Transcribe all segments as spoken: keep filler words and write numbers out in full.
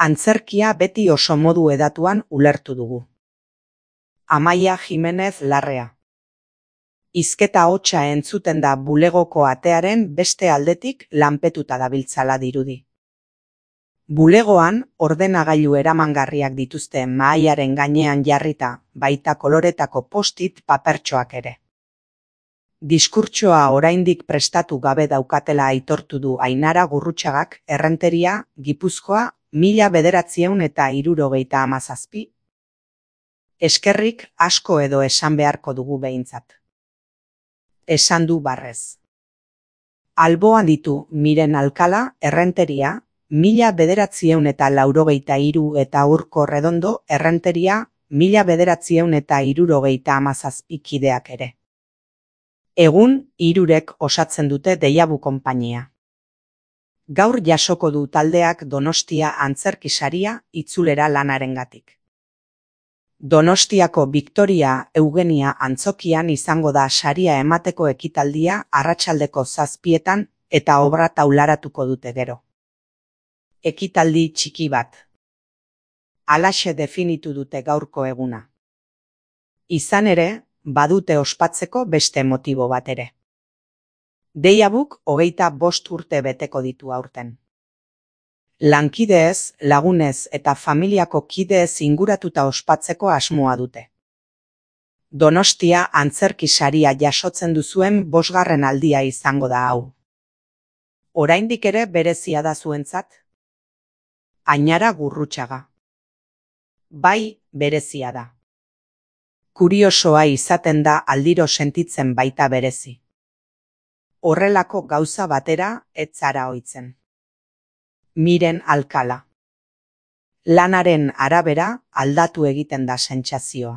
Antzerkia beti oso modu edatuan ulertu dugu. Amaia Jimenez Larrea. Hizketa hotsa entzuten da bulegoko atearen beste aldetik lanpetuta dabiltzala dirudi. Bulegoan ordenagailu eramangarriak dituzte mahaiaren gainean jarrita, baita koloretako postit papertxoak ere. Diskurtsoa oraindik prestatu gabe daukatela aitortu du Ainara Gurrutxagak Errenteria, Gipuzkoa, mila bederatziehun eta hirurogeita hamazazpi. Eskerrik asko edo esan beharko dugu behintzat. Esan du barrez. Alboan ditu Miren Alkala, Errenteria, mila bederatziehun eta laurogeita hiru eta Urko Redondo, Errenteria, mila bederatziehun eta hirurogeita hamazazpi kideak ere. Egun, hirurek osatzen dute Deiabu konpainia. Gaur jasoko du taldeak Donostia antzerki saria itzulera lanarengatik. Donostiako Victoria Eugenia antzokian izango da saria emateko ekitaldia arratsaldeko zazpietan eta obra taularatuko dute gero. Ekitaldi txiki bat. Halaxe definitu dute gaurko eguna. Izan ere, badute ospatzeko beste motibo bat ere. Deiabuk hogeita bost urte beteko ditu aurten. Lankideez, lagunez eta familiako kideez inguratuta ospatzeko asmoa dute. Donostia antzerki saria jasotzen duzuen bosgarren aldia izango da hau. Oraindik ere berezia da zuentzat? Ainara Gurrutxaga. Bai, berezia da. Kuriosoa izaten da aldiro sentitzen baita berezi. Horrelako gauza batera ez zara ohitzen. Miren Alkala. Lanaren arabera aldatu egiten da sentsazioa.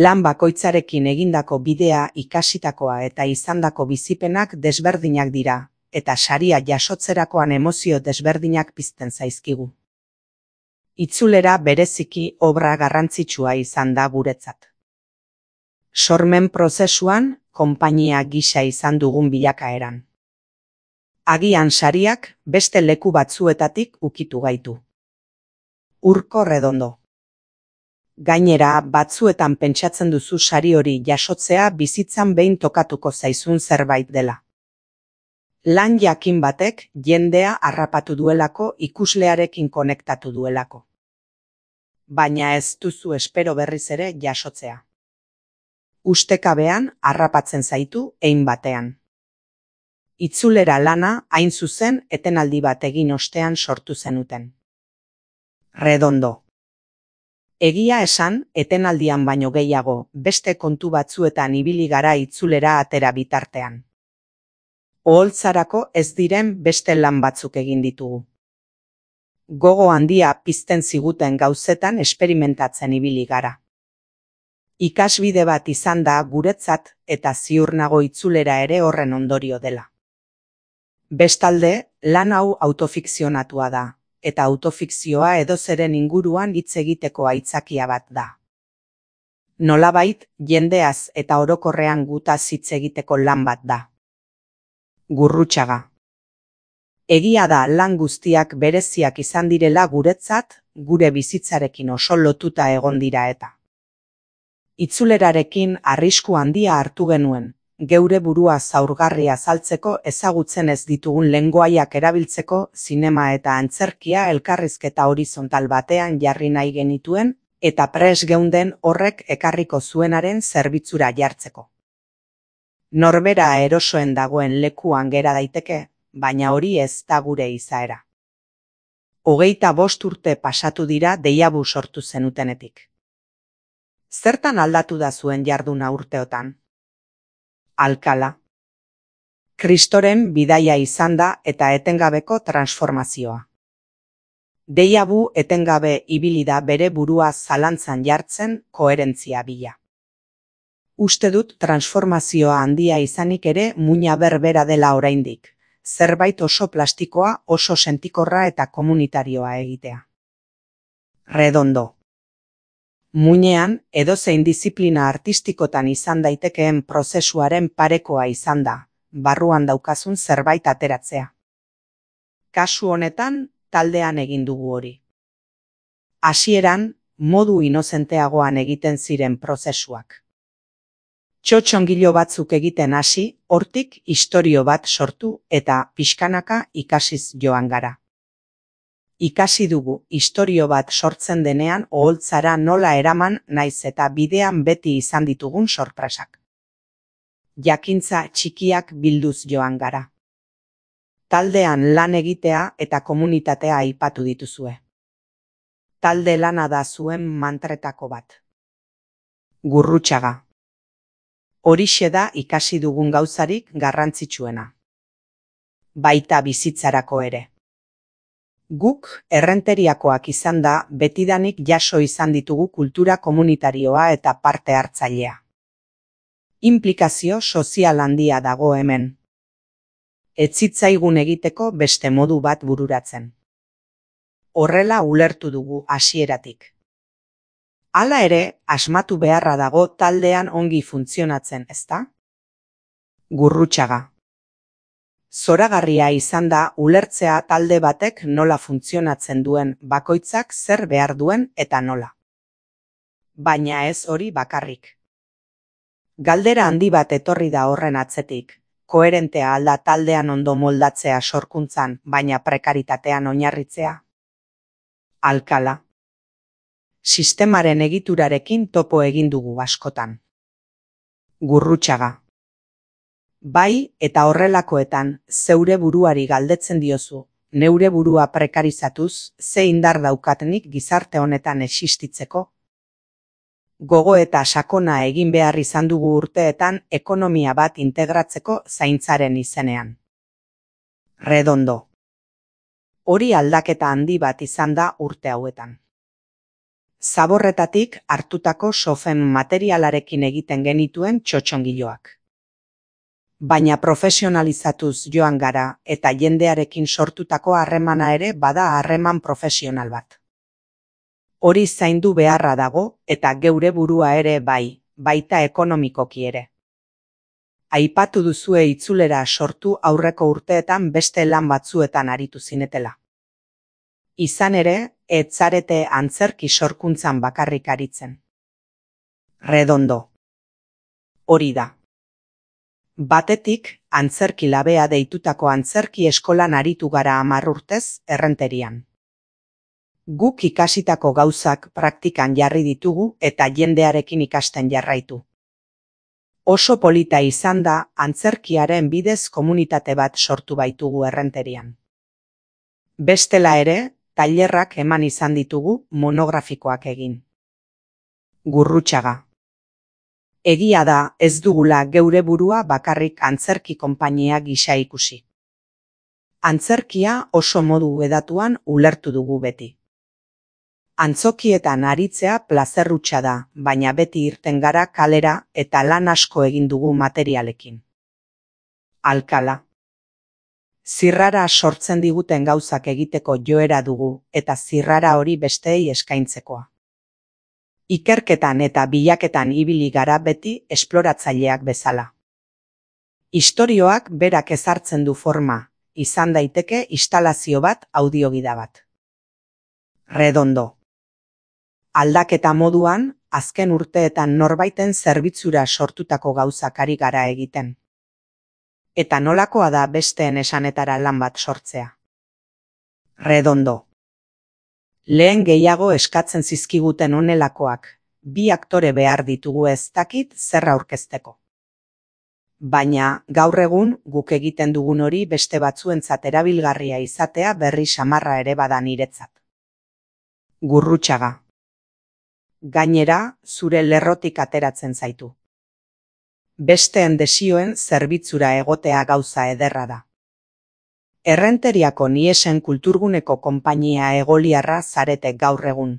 Lan bakoitzarekin egindako bidea, ikasitakoa eta izandako bizipenak desberdinak dira, eta saria jasotzerakoan emozio desberdinak pizten zaizkigu. Itzulera bereziki obra garrantzitsua izan da guretzat. Sormen prozesuan, konpainia gisa izan dugun bilakaeran. Agian sariak beste leku batzuetatik ukitu gaitu. Urko Redondo. Gainera, batzuetan pentsatzen duzu sari hori jasotzea bizitzan behin tokatuko zaizun zerbait dela. Lan jakin batek jendea harrapatu duelako, ikuslearekin konektatu duelako. Baina ez duzu espero berriz ere jasotzea. Ustekabean harrapatzen zaitu hein batean. Itzulera lana hain zuzen etenaldi bat egin ostean sortu zenuten. Redondo. Egia esan, etenaldian baino gehiago, beste kontu batzuetan ibili gara itzulera atera bitartean. Oholtzarako ez diren beste lan batzuk egin ditugu. Gogo handia pizten ziguten gauzetan esperimentatzen ibili gara. Ikasbide bat izan da guretzat eta ziur nago itzulera ere horren ondorio dela. Bestalde, lan hau autofikzionatua da, eta autofikzioa edozeren inguruan hitz egiteko aitzakia bat da. Nolabait, jendeaz eta orokorrean gutaz hitz egiteko lan bat da. Gurrutxaga. Egia da lan guztiak bereziak izan direla guretzat, gure bizitzarekin oso lotuta egon dira eta. Itzulerarekin arrisku handia hartu genuen, geure burua zaurgarria azaltzeko ezagutzen ez ditugun lengoaiak erabiltzeko zinema eta antzerkia elkarrizketa horizontal batean jarri nahi genituen eta pres geunden horrek ekarriko zuenaren zerbitzura jartzeko. Norbera erosoen dagoen lekuan gera daiteke, baina hori ez da gure izaera. Hogeita bost urte pasatu dira Deiabu sortu zenutenetik. Zertan aldatu da zuen jarduna urteotan? Alkala. Kristoren bidaia izan da eta etengabeko transformazioa. Deiabu etengabe ibili da bere burua zalantzan jartzen koherentzia bila. Uste dut transformazioa handia izanik ere muina berbera dela oraindik, zerbait oso plastikoa, oso sentikorra eta komunitarioa egitea. Redondo. Muinean, edozein diziplina artistikotan izan daitekeen prozesuaren parekoa izan da, barruan daukazun zerbait ateratzea. Kasu honetan, taldean egin dugu hori. Hasieran, modu inozenteagoan egiten ziren prozesuak. Txotxongilo batzuk egiten hasi, hortik istorio bat sortu eta pixkanaka ikasiz joan gara. Ikasi dugu istorio bat sortzen denean oholtzara nola eraman naiz eta bidean beti izan ditugun sorpresak. Jakintza txikiak bilduz joan gara. Taldean lan egitea eta komunitatea aipatu dituzue. Talde lana da zuen mantretako bat. Gurrutxaga. Horixe da ikasi dugun gauzarik garrantzitsuena. Baita bizitzarako ere. Guk errenteriakoak izan da betidanik jaso izan ditugu kultura komunitarioa eta parte hartzailea. Inplikazio sozial handia dago hemen. Ez zitzaigun egiteko beste modu bat bururatzen. Horrela ulertu dugu hasieratik. Hala ere, asmatu beharra dago taldean ongi funtzionatzen, ezta? Gurrutxaga. Zoragarria izan da ulertzea talde batek nola funtzionatzen duen, bakoitzak zer behar duen eta nola. Baina ez hori bakarrik. Galdera handi bat etorri da horren atzetik. Koherentea alda taldean ondo moldatzea sorkuntzan, baina prekaritatean oinarritzea. Alkala. Sistemaren egiturarekin topo egin dugu askotan. Gurrutxaga. Bai, eta horrelakoetan, zeure buruari galdetzen diozu, neure burua prekarizatuz, ze indar daukatenik gizarte honetan existitzeko? Gogo eta sakona egin behar izan dugu urteetan ekonomia bat integratzeko zaintzaren izenean. Redondo. Hori aldaketa handi bat izan da urte hauetan. Zaborretatik hartutako sofen materialarekin egiten genituen txotxongiloak. Baina profesionalizatuz joan gara eta jendearekin sortutako harremana ere bada harreman profesional bat. Hori zaindu beharra dago eta geure burua ere bai, baita ekonomikoki ere. Aipatu duzue itzulera sortu aurreko urteetan beste lan batzuetan aritu zinetela. Izan ere, ez zarete antzerki sorkuntzan bakarrik aritzen. Redondo. Hori da. Batetik, antzerki labea deitutako antzerki eskolan aritu gara hamar urtez errenterian. Guk ikasitako gauzak praktikan jarri ditugu eta jendearekin ikasten jarraitu. Oso polita izan da antzerkiaren bidez komunitate bat sortu baitugu errenterian. Bestela ere, tailerrak eman izan ditugu monografikoak egin. Gurrutxaga. Egia da ez dugula geure burua bakarrik antzerki konpainia gisa ikusi. Antzerkia oso modu hedatuan ulertu dugu beti. Antzokietan aritzea plazerrutxa da, baina beti irten gara kalera eta lan asko egin dugu materialekin. Alkala. Zirrara sortzen diguten gauzak egiteko joera dugu eta zirrara hori besteei eskaintzekoa. Ikerketan eta bilaketan ibili gara beti esploratzaileak bezala. Istorioak berak ezartzen du forma, izan daiteke instalazio bat audiogida bat. Redondo. Aldaketa moduan, azken urteetan norbaiten zerbitzura sortutako gauzak ari gara egiten. Eta nolakoa da besteen esanetara lan bat sortzea. Redondo. Lehen gehiago eskatzen zizkiguten honelakoak, bi aktore behar ditugu ez dakit zer aurkezteko. Baina, gaur egun, guk egiten dugun hori beste batzuentzat erabilgarria izatea berri samarra ere bada niretzat. Gurrutxaga. Gainera, zure lerrotik ateratzen zaitu. Besteen desioen zerbitzura egotea gauza ederra da. Errenteriako Niesen kulturguneko konpainia egoliarra zarete gaur egun.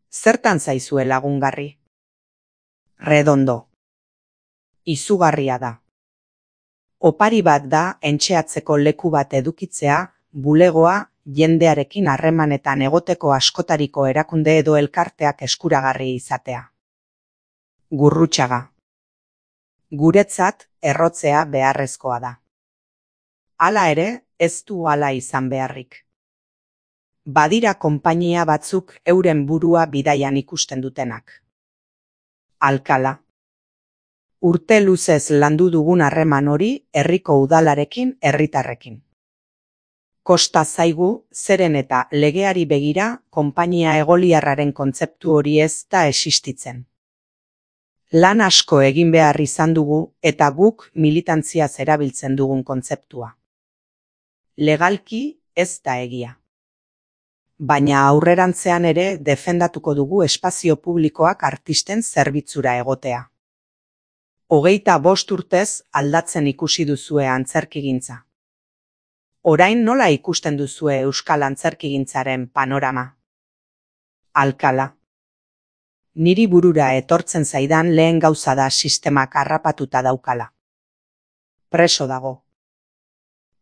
Zertan zaizue lagungarri? Redondo. Izugarria da. Opari bat da entxeatzeko leku bat edukitzea, bulegoa, jendearekin harremanetan egoteko askotariko erakunde edo elkarteak eskuragarri izatea. Gurrutxaga. Guretzat, errotzea beharrezkoa da. Hala ere, ez du hala izan beharrik. Badira konpainia batzuk euren burua bidaian ikusten dutenak. Alkala. Urte luzez landu dugun harreman hori herriko udalarekin, herritarrekin. Kosta zaigu, zeren eta legeari begira, konpainia egoliarraren kontzeptu hori ez da existitzen. Lan asko egin behar izan dugu eta guk militantziaz erabiltzen dugun kontzeptua. Legalki ez da egia. Baina aurrerantzean ere defendatuko dugu espazio publikoak artisten zerbitzura egotea. Hogeita bost urtez aldatzen ikusi duzue antzerkigintza. Orain nola ikusten duzue euskal antzerkigintzaren panorama? Alkala. Niri burura etortzen zaidan lehen gauza da sistemak harrapatuta daukala. Preso dago.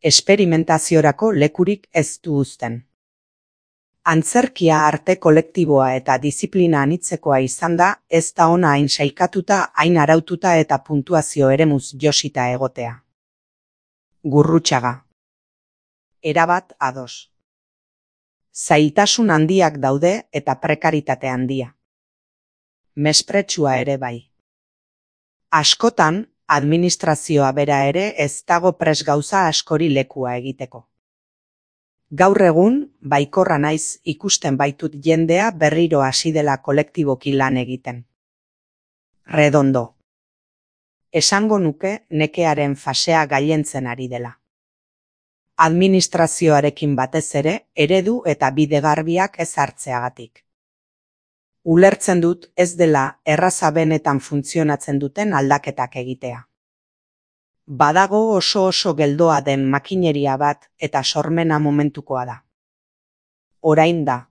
Esperimentaziorako lekurik ez du uzten. Antzerkia arte kolektiboa eta disiplina anitzekoa izan da, ez da ona hain sailkatuta, hain araututa eta puntuazio eremuz josita egotea. Gurrutxaga. Erabat ados. Zailtasun handiak daude eta prekaritate handia. Mespretsua ere bai. Askotan, administrazioa bera ere ez dago pres gauza askori lekua egiteko. Gaur egun, baikorra naiz ikusten baitut jendea berriro hasi dela kolektiboki lan egiten. Redondo. Esango nuke nekearen fasea gailentzen ari dela. Administrazioarekin batez ere, eredu eta bide garbiak ez hartzeagatik. Ulertzen dut ez dela erraza benetan funtzionatzen duten aldaketak egitea. Badago oso oso geldoa den makineria bat eta sormena momentukoa da. Orain da.